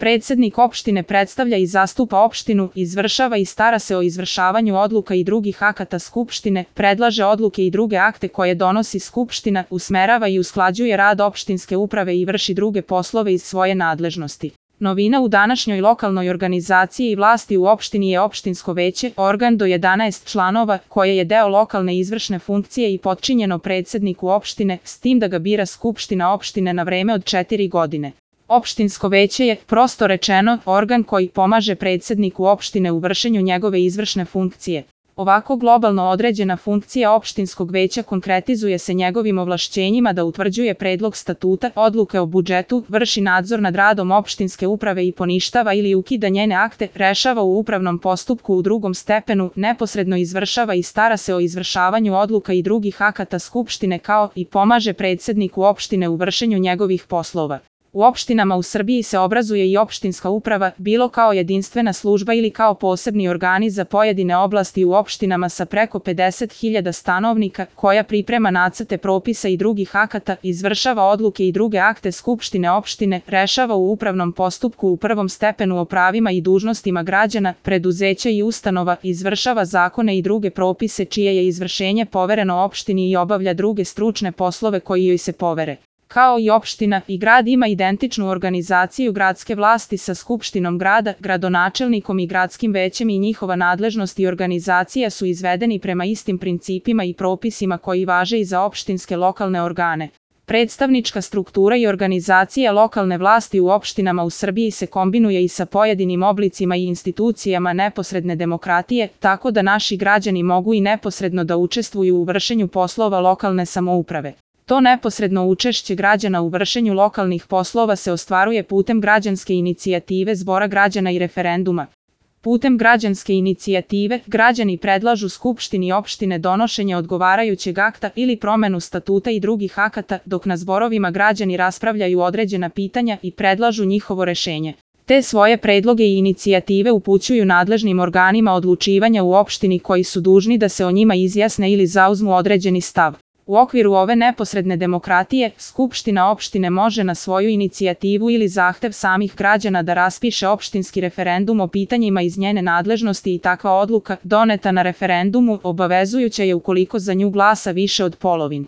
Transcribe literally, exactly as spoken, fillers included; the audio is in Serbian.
Predsednik opštine predstavlja i zastupa opštinu, izvršava i stara se o izvršavanju odluka i drugih akata Skupštine, predlaže odluke i druge akte koje donosi Skupština, usmerava i usklađuje rad opštinske uprave i vrši druge poslove iz svoje nadležnosti. Novina u današnjoj lokalnoj organizaciji i vlasti u opštini je opštinsko veće, organ do jedanaest članova, koje je deo lokalne izvršne funkcije i potčinjeno predsedniku opštine, s tim da ga bira Skupština opštine na vreme od četiri godine. Opštinsko veće je, prosto rečeno, organ koji pomaže predsedniku opštine u vršenju njegove izvršne funkcije. Ovako globalno određena funkcija opštinskog veća konkretizuje se njegovim ovlašćenjima da utvrđuje predlog statuta, odluke o budžetu, vrši nadzor nad radom opštinske uprave i poništava ili ukida njene akte, rešava u upravnom postupku u drugom stepenu, neposredno izvršava i stara se o izvršavanju odluka i drugih akata Skupštine kao i pomaže predsedniku opštine u vršenju njegovih poslova. U opštinama u Srbiji se obrazuje i opštinska uprava, bilo kao jedinstvena služba ili kao posebni organi za pojedine oblasti u opštinama sa preko pedeset hiljada stanovnika, koja priprema nacrte propisa i drugih akata, izvršava odluke i druge akte Skupštine opštine, rešava u upravnom postupku u prvom stepenu o pravima i dužnostima građana, preduzeća i ustanova, izvršava zakone i druge propise čije je izvršenje povereno opštini i obavlja druge stručne poslove koji joj se povere. Kao i opština, i grad ima identičnu organizaciju gradske vlasti sa Skupštinom grada, gradonačelnikom i gradskim većem i njihova nadležnost i organizacija su izvedeni prema istim principima i propisima koji važe i za opštinske lokalne organe. Predstavnička struktura i organizacija lokalne vlasti u opštinama u Srbiji se kombinuje i sa pojedinim oblicima i institucijama neposredne demokratije, tako da naši građani mogu i neposredno da učestvuju u vršenju poslova lokalne samouprave. To neposredno učešće građana u vršenju lokalnih poslova se ostvaruje putem građanske inicijative Zbora građana i referenduma. Putem građanske inicijative, građani predlažu Skupštini opštine donošenje odgovarajućeg akta ili promenu statuta i drugih akata, dok na zborovima građani raspravljaju određena pitanja i predlažu njihovo rešenje. Te svoje predloge i inicijative upućuju nadležnim organima odlučivanja u opštini koji su dužni da se o njima izjasne ili zauzmu određeni stav. U okviru ove neposredne demokratije, Skupština opštine može na svoju inicijativu ili zahtev samih građana da raspiše opštinski referendum o pitanjima iz njene nadležnosti i takva odluka, doneta na referendumu, obavezujuća je ukoliko za nju glasa više od polovine.